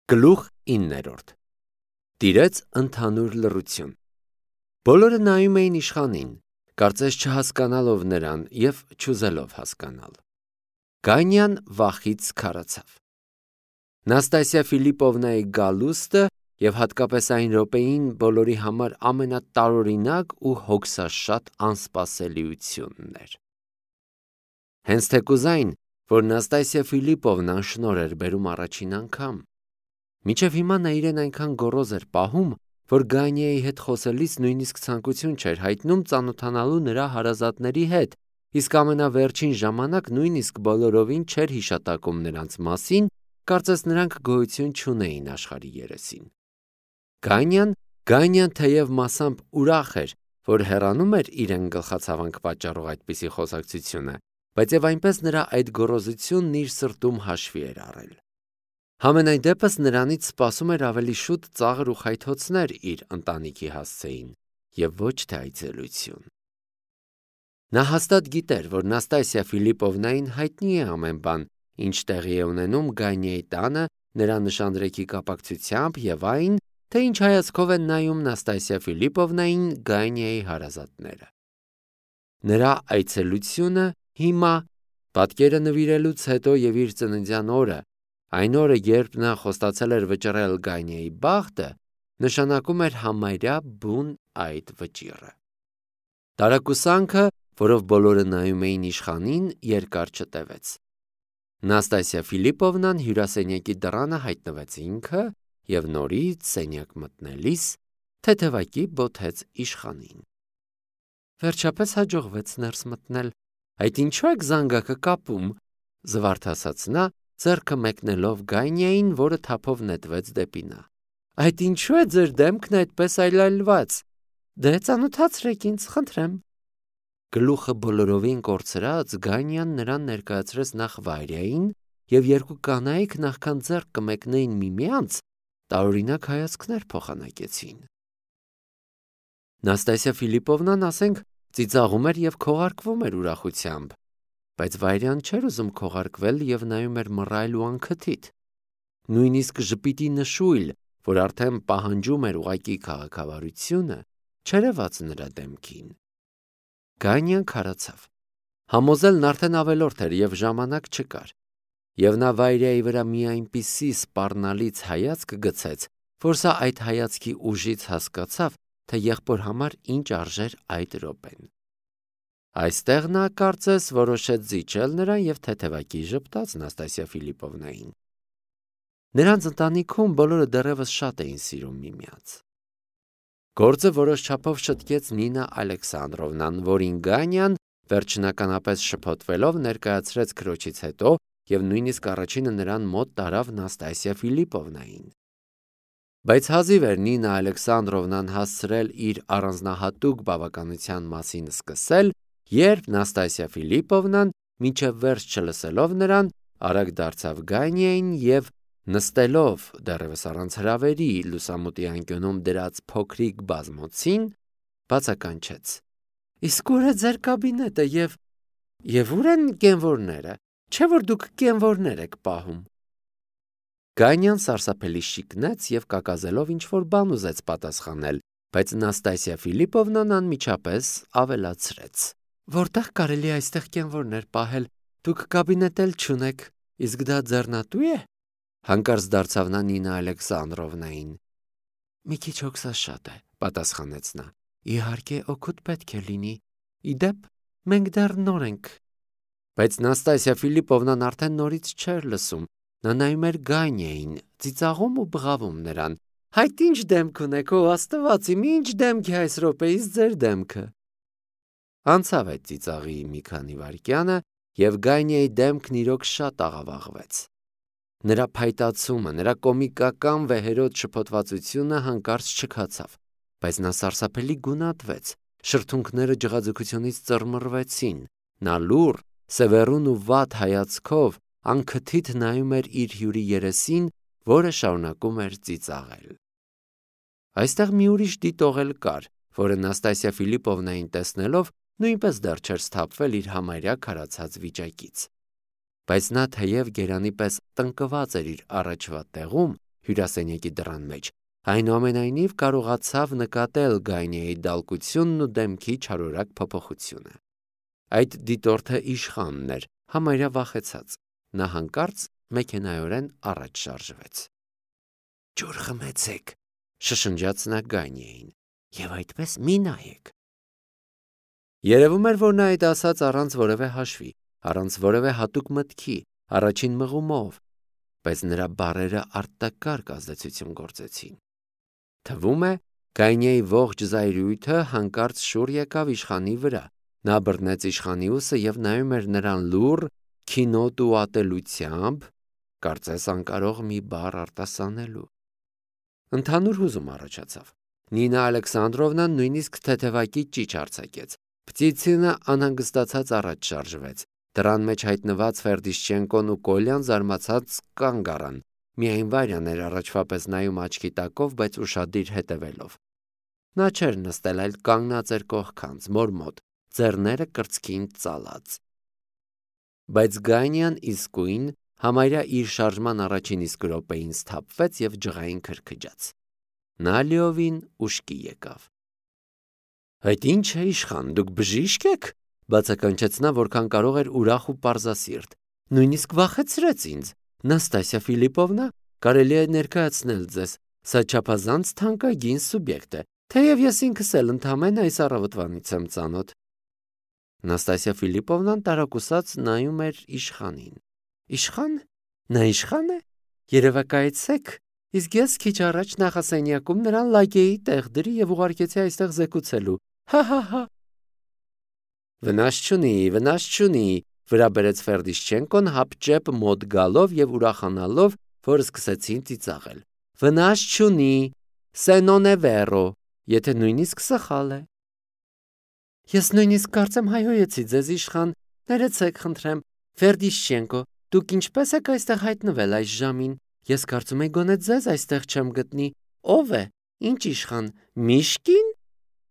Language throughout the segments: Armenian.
Գլուխ 9. Տիրեց ընդհանուր լռություն։ Բոլորը նայում էին իշխանին, կարծես չհասկանալով նրան և չուզելով հասկանալ։ Գանյան վախից քարացավ։ Նաստասիա Ֆիլիպովնայի գալուստը և հատկապես այն րոպեին բոլորի համար ամենատարօրինակ ու հոգսաշատ անսպասելիությունն էր։ Հենց թեկուզ այն, որ Նաստասիա Ֆիլիպովնան շնորհ էր բերում առաջին անգամ։ Մինչև հիմա նա իրեն այնքան գոռոզ էր պահում, որ Գանյայի հետ խոսելիս նույնիսկ ցանկություն չէր հայտնում ծանոթանալու նրա հարազատների հետ, իսկ ամենավերջին ժամանակ նույնիսկ բոլորովին չէր հիշատակում նրանց մասին, կարծես նրանք գոյություն չունեին աշխարհի երեսին։ Գանյան թեև մասամբ ուրախ էր, որ հեռանում էր իրեն գլխացավանք պատճառող այդպիսի խոսակցությունը, բայց և այնպես նրա այդ գոռոզությունն իր սրտում հաշվի էր առել։ Համենայն դեպս նրանից սպասում էր ավելի շուտ ծաղր ու խայթոցներ իր ընտանիքի հասցեին և ոչ թե այցելություն։ Նա հաստատ գիտեր, որ Նաստասիա Ֆիլիպովնային հայտնի է ամեն բան, ինչ տեղի է ունենում Գանյայի տանը նրա նշանдрեքի կապակցությամբ և այն, թե ինչ հայացքով են նայում Նաստասիա Ֆիլիպովնային Գանյայի հարազատները։ Նրա այցելությունը հիմա, պատկերը նվիրելուց հետո և իր ծննդյան օրը, այն օրը, երբ նա խոստացել էր վճռել Գանյայի բախտը, նշանակում էր համարյա բուն այդ վճիռը։ Տարակուսանքը, որով բոլորը նայում էին իշխանին, երկար չտևեց։ Նաստասիա Ֆիլիպովնան հյուրասենյակի դռանը հայտնվեց ինքը և նորից սենյակ մտնելիս թեթևակի բոթեց իշխանին։ Վերջապես հաջողվեց ներս մտնել։ Այդ ինչու եք զանգակը կապում, զվարթացած նա, ձեռքը մեկնելով Գանյային, որը թափով նետվեց դեպի նա։ Այդ ինչու է ձեր դեմքն այդպես այլայլված։ Դե ծանոթացրեք ինձ, խնդրեմ։ Գլուխը բոլորովին կորցրած Գանյան նրան ներկայացրեց նախ Վարյային, և երկու կանայք նախքան ձեռք կմեկնեին միմյանց, տարօրինակ հայացքներ փոխանակեցին։ Նաստասիա Ֆիլիպովնան, ասենք, ծիծաղում էր և քողարկվում էր ուրախությամբ, բայց Վարյան չէր ուզում քողարկվել և նայում էր մռայլ ու անքթիթ։ Նույնիսկ ժպիտի նշույլ, որ արդեն պահանջում էր ուղղակի քաղաքավարությունը, չերևաց նրա դեմքին։ Գանյան քարացավ։ Համոզելն արդեն ավելորդ էր և ժամանակ չկար։ Եվ նա Վարյայի վրա մի այնպիսի սպառնալից հայացք գցեց, որ սա այդ հայացքի ուժից հասկացավ, թե եղբոր համար ինչ արժեր այդ րոպեն։ Այստեղ նա, կարծես, որոշեց զիջել նրան և թեթևակի ժպտաց Նաստասիա Ֆիլիպովնային։ Նրանց ընտանիքում բոլորը դեռևս շատ էին սիրում միմյանց։ Գործը որոշ չափով շտկեց Նինա Ալեքսանդրովնան, որին Գանյան վերջնականապես շփոթվելով ներկայացրեց քրոջից հետո և նույնիսկ առաջինը նրան մոտ տարավ Նաստասիա Ֆիլիպովնային։ Բայց հազիվ էր Նինա Ալեքսանդրովնան հասցրել իր առանձնահատուկ բավականության մասին սկսել, երբ Նաստասիա Ֆիլիպովնան, մինչև վերջ չլսելով նրան, արագ դարձավ Գանյային և, նստելով դեռևս առանց հրավերի լուսամուտի անկյունում դրած փոքրիկ բազմոցին, բացականչեց. Իսկ ո՞ւր է ձեր կաբինետը և ո՞ւր են կենվորները, չէ՞ որ դուք կենվորներ եք պահում։ Գանյան սարսափելի շիկնեց և կակազելով ինչ-որ բան ուզեց պատասխանել, բայց Նաստասիա Ֆիլիպովնան անմիջապես ավելացրեց. Որտե՞ղ կարելի է այստեղ կենվորներ պահել, դուք կաբինետ էլ չունեք, իսկ դա ձեռնատու՞ է։ Հանկարծ դարձավ նա Նինա Ալեքսանդրովնային։ Մի քիչ հոգսաշատ է, պատասխանեց նա։ Իհարկե, օգուտ պետք է լինի։ Ի դեպ, մենք դեռ նոր ենք։ Բայց Նաստասիա Ֆիլիպովնան արդեն նորից չէր լսում։ Նա նայում էր Գանյային, ծիծաղում ու բղավում նրան։ Հայտ ինչ դեմք ունեք, ո Աստված իմ, ինչ դեմք է այս րոպեիս ձեր դեմքը։ Անցավ այդ ծիծաղի մի քանի վայրկյանը, և Գանյայի դեմքն իրոք շատ աղավաղվեց։ Նրա փայտացումը, նրա կոմիկական վեհերոտ շփոթվածությունը հանկարծ չքացավ, բայց նա սարսափելի գունատվեց, շրթունքները ջղաձգությունից ծռմռվեցին, նա լուռ, սևեռուն ու վատ հայացքով անքթիթ նայում էր իր հյուրի երեսին, որը շարունակում էր ծիծաղել։ Այստեղ մի ուրիշ դիտող էլ կար, որը Նաստասիա Ֆիլիպովնային տեսնելով նույնպես դեռ չէր սթափվել իր համարյա քարացած վիճակից։ Բայց նա թեև գերանի պես տնկված էր իր առաջվա տեղում, հյուրասենյակի դռան մեջ, այնուամենայնիվ կարողացավ նկատել Գայնեի դալկությունն ու դեմքի չարորակ փոփոխությունը։ Այդ դիտորդը իշխանն էր, համարյա վախեցած։ Նա հանկարծ մեքենայորեն առաջ շարժվեց։ «Ջուր խմեցեք», շշնջաց նա Գայնեին, «եւ այդպես մի նայեք»։ Երևում էր, որ նա այդ ասաց առանց որևէ հաշվի, առանց որևէ հատուկ մտքի, առաջին մղումով, բայց նրա բառերը արտակարգ ազդեցություն գործեցին։ Թվում է, Գայնեի ողջ զայրույթը հանկարծ շուռ եկավ իշխանի վրա։ Նա բռնեց իշխանի ուսը եւ նայում էր նրան լուռ, քինոտ ու ատելությամբ, կարծես անկարող մի բառ արտասանելու։ Ընդհանուր հուզում առաջացավ։ Նինա Ալեքսանդրովնան նույնիսկ թեթևակի ճիչ արձակեց։ Պտիցինը անհանգստացած առաջ շարժվեց։ Դռան մեջ հայտնված Ֆերդիշչենկոն ու Կոլյան զարմացած կանգ առան։ Միայն Վարյան էր առաջվա պես նայում աչքի տակով, բայց ուշադիր հետևելով։ Նա չէր նստել, այլ կանգնած էր կողքանց, մոր մոտ, ձեռները կրծքին ծալած։ Բայց Գայնյան իսկույն համարյա իր շարժման առաջին իսկ րոպեին սթափվեց եւ ջղային քրքջաց։ Նա լիովին ուշքի եկավ։ «Այդ ինչ է, իշխան, դուք բժիշկ եք», բացականչեց նա, որքան կարող էր ուրախ ու պարզասիրտ։ «Նույնիսկ վախեցրեց ինձ։ Նաստասիա Ֆիլիպովնա, կարելի է ներկայացնել ձեզ, սա չափազանց թանկագին սուբյեկտ է, թեև ես ինքս էլ ընդամենը այս առավոտվանից եմ ծանոթ»։ Նաստասիա Ֆիլիպովնան տարակուսած նայում էր իշխանին։ «Իշխան? Նա իշխան է? Երևակայեցեք, իսկ ես քիչ առաջ նախասենյակում նրան լակեի տեղ դրի եւ ուղարկեցի այստեղ զեկուցելու։ Հա։ Վնաս չունի, վրա բերեց Ֆերդիշչենկոն հապճեպ մոտ գալով եւ ուրախանալով, որ սկսեցին ծիծաղել։ Վնաս չունի, se non è vero, եթե նույնիսկ սխալ է։ Ես նույնիսկ կարծեմ հայհոյեցի ձեզ, իշխան, ներեցեք խնդրեմ, Ֆերդիշչենկո, դուք ինչպես եք այստեղ հայտնվել այս ժամին։ Ես կարծում եի գոնե ձեզ այստեղ չեմ գտնի։ Ո՞վ է։ Ինչ իշխան, Միշկին։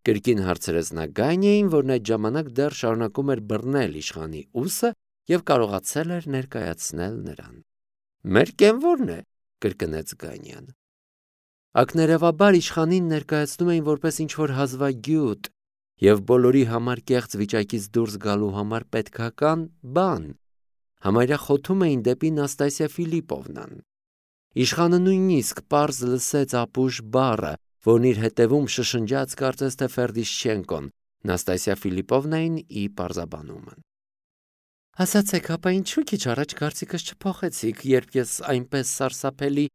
Կրկին հարցրեց նա Գայնեին, որն այդ ժամանակ դեռ շարունակում էր բռնել իշխանի ուսը եւ կարողացել էր ներկայացնել նրան։ Մեր կենվորն է, կրկնեց Գայնյան։ Ակներևաբար իշխանին ներկայացնում էին որպես ինչ-որ հազվագյուտ եւ բոլորի համար կեղծ վիճակից դուրս գալու համար պետքական բան։ Համարյա խոթում էին դեպի Նաստասիա Ֆիլիպովնան։ Իշխանը նույնիսկ պարզ լսեց ապուշ բառը, որն իր հետևում շշնջաց կարծես թե Ֆերդիշչենկոն, Նաստասիա Ֆիլիպովնային ի պարզաբանումը։ Ասացեք, ապա ինչու քիչ առաջ կարծիքս չփոխեցիք, երբ ես այնպես սարսափելի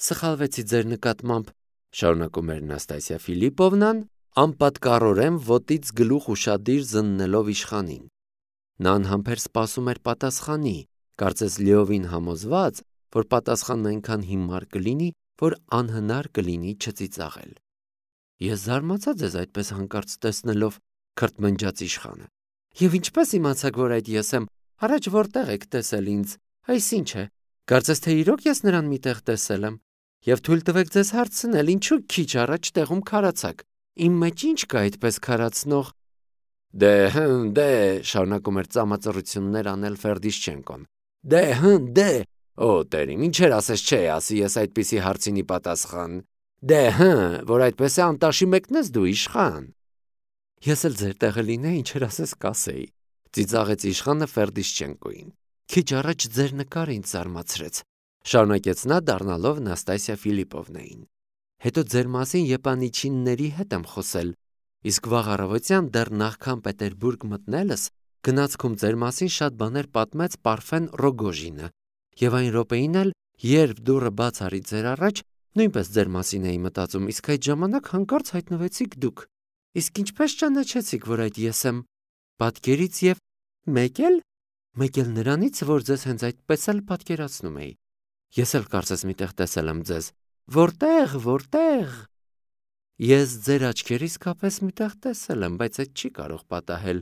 սխալվեցի ձեր նկատմամբ, շարունակում էր Նաստասիա Ֆիլիպովնան, անպատկառորեն ոտից գլուխ ուշադիր զննելով իշխանին։ Նա անհամբեր սպասում էր պատասխանի, կարծես լիովին համոզված, որ պատասխանն այնքան հիմար կլինի, որ անհնար կլինի չծիծաղել։ Ես զարմացա ձեզ այդպես հանկարծ տեսնելով, քրթմնջաց իշխանը։ Եվ ինչպես իմացաք, որ այդ ես եմ, առաջ որտեղ եք տեսել ինձ, այս ինչ է, կարծես թե իրոք ես նրան միտեղ տեսել եմ, եւ թույլ տվեք ձեզ հարցնել, ինչու քիչ առաջ տեղում քարացաք, իմ մեջ ինչ կա այդպես քարացնող։ Դե, շարունակում էր ծամածռություններ անել Ֆերդիշչենկոն։ Դե, օ տերիմ, ինչեր ասես չէ, ասի ես այդպիսի հարցինի պատասխան։ Որ այդպես է անտաշի մեկն ես դու իշխան։ Ես էլ ձեր տեղը լինեի, ինչեր ասես կասեի, ծիծաղեց իշխանը Ֆերդիշչենկոին։ Քիչ առաջ ձեր նկարը ինձ զարմացրեց, շարունակեց նա դառնալով Նաստասիա Ֆիլիպովնային։ Հետո ձեր մասին եպանիչինների հետ եմ խոսել, իսկ վաղ առավոտյան դեռ նախքան Պետերբուրգ մտնելս գնացքում ձեր մասին շատ բաներ պատմեց Պարֆեն Ռոգոժինը, եւ այն րոպեին էլ, երբ դուռը բաց արի ձեր առաջ, նույնպես ձեր մասին էի մտածում, իսկ այդ ժամանակ հանկարծ հայտնվեցիք դուք։ Իսկ ինչպես ճանաչեցիք, որ այդ ես եմ, պատկերից եւ մեկ էլ նրանից, որ ձեզ հենց այդպես էլ պատկերացնում էի։ Ես էլ կարծես միտեղ տեսել եմ ձեզ։ Որտեղ։ Ես ձեր աչքերից կապես միտեղ տեսել եմ, բայց այդ չի կարող պատահել։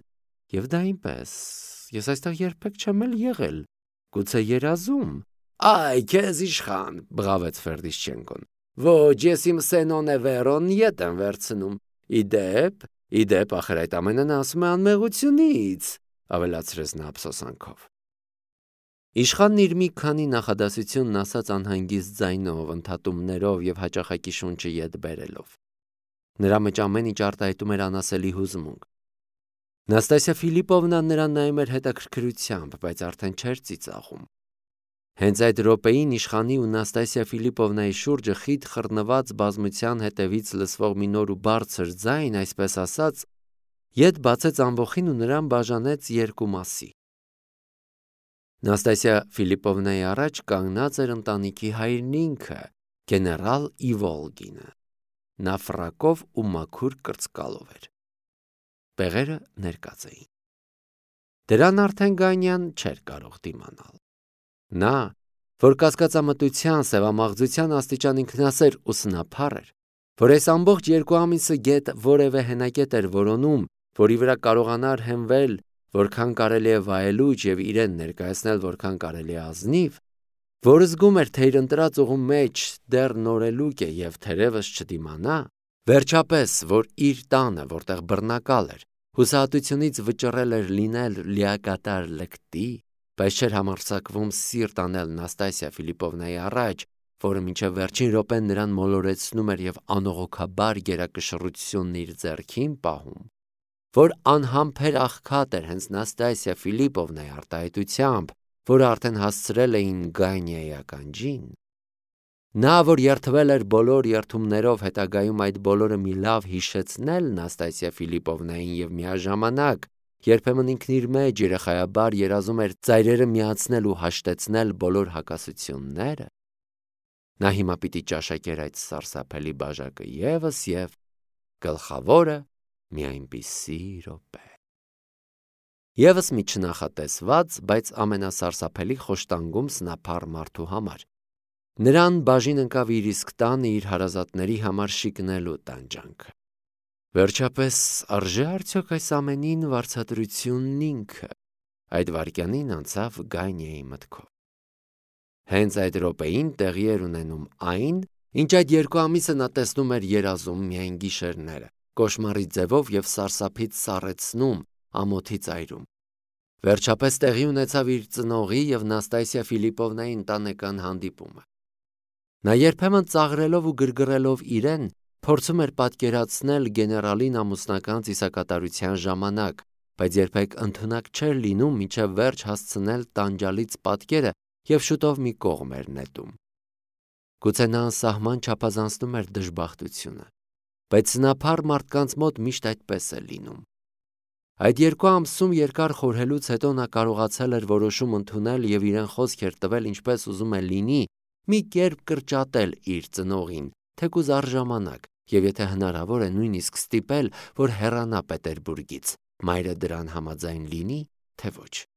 Եվ դա այնպես։ Ես այստեղ երբեք չեմ էլ եղել։ Գուցե երազում։ Այ, քեզ իշխան, բղավեց Ֆերդիշչենկոն։ Ոչ, ես իմ սենոնե վերոն ետ եմ վերցնում։ Իդեպ, ախր այդ ամենը նա ասում է անմեղությունից, ավելացրեց նա ափսոսանքով։ Իշխանն իր մի քանի նախադասությունն ասաց անհանգիստ ձայնով, ընդհատումներով և հաճախակի շունչը ետ բերելով։ Նրա մեջ ամեն ինչ արտահայտում էր անասելի հուզմունք։ Նաստասիա Ֆիլիպովնան նրան նայում էր հետաքրքրությամբ, բայց արդեն չէր ծիծաղում։ Հենց այդ րոպեին իշխանի ու Նաստասիա Ֆիլիպովնայի շուրջը խիտ խռնված բազմության հետևից լսվող մի նոր ու բարձր ձայն, այսպես ասած, ետ բացեց ամբոխին ու նրան բաժանեց երկու մասի։ Նաստասիա Ֆիլիպովնայի առաջ կանգնած էր ընտանիքի հայրն ինքը, գեներալ Իվոլգինը։ Նա ֆրակով ու մաքուր կրծկալով էր։ Բեղերը ներկած էին։ Դրան արդեն Գանյան չէր կարող դիմանալ։ Նա, որ կասկածամտության, սևամաղձության աստիճան ինքնասեր ու սնափառ էր, որ այս ամբողջ 2 ամիսը գետ որևէ հենակետ էր որոնում, որի վրա կարողանար հենվել, որքան կարելի է վայելուչ և իրեն ներկայացնել որքան կարելի է ազնիվ, որ զգում էր, թե իր ընտրած ուղու մեջ դեռ նորելուկ է և թերևս չդիմանա, վերջապես, որ իր տանը, որտեղ բռնակալ էր, հուսահատությունից վճռել էր լինել լիակատար լկտի, բայց չէր համարձակվում սիրտ անել Նաստասիա Ֆիլիպովնայի առաջ, որը մինչև վերջին րոպեն նրան մոլորեցնում էր և անողոքաբար գերակշռությունն իր ձեռքին պահում, որ անհամբեր աղքատ էր հենց Նաստասիա Ֆիլիպովնայի արտահայտությամբ, որը արդեն հասցրել էին Գանյայի ականջին։ Նա, որ երդվել էր բոլոր երդումներով հետագայում այդ բոլորը մի լավ հիշեցնել Նաստասիա Ֆիլիպովնային և միաժամանակ երբեմն ինքն իր մեջ երեխայաբար երազում էր ծայրերը միացնել ու հաշտեցնել բոլոր հակասությունները, նա հիմա պիտի ճաշակեր այդ սարսափելի բաժակը ևս և գլխավորը մի այնպիսի րոպե։ Եվս մի չնախատեսված, բայց ամենասարսափելի խոշտանգում սնափառ մարդու համար։ Նրան բաժին ընկավ իր իսկ տանը իր հարազատների համար շիկնելու տանջանքը։ Վերջապես, արժե արդյոք այս ամենին վարձատրությունն ինքը, այդ վայրկյանին անցավ Գանյայի մտքով։ Հենց այդ րոպեին տեղի էր ունենում այն, ինչ այդ 2 ամիսը նա տեսնում էր երազում միայն գիշերները, կոշմարի ձևով և սարսափից սառեցնում ամոթի ծայրում։ Վերջապես տեղի ունեցավ իր ծնողի և Նաստասիա Ֆիլիպովնայի ընտանեկան հանդիպումը։ Նա երբեմն ծաղրելով ու գրգռելով իրեն, փորձում էր պատկերացնել գեներալին ամուսնական ծիսակատարության ժամանակ, բայց երբեք ընդունակ չէր լինում մինչև վերջ հասցնել տանջալից պատկերը և շուտով մի կողմ էր նետում։ Գուցե նա անսահման չափազանցնում էր դժբախտությունը, բայց սնափառ մարդկանց մոտ միշտ այդպես է լինում։ Այդ 2 ամսում երկար խորհելուց հետո նա կարողացել էր որոշում ընդունել և իրեն խոսք էր տվել ինչպես ուզում է լինի, մի կերպ կրճատել իր ծնողին, թեկուզ առժամանակ, և եթե հնարավոր է նույնիսկ ստիպել, որ հեռանա Պետերբուրգից, մայրը դրան համաձայն լինի, թե ոչ։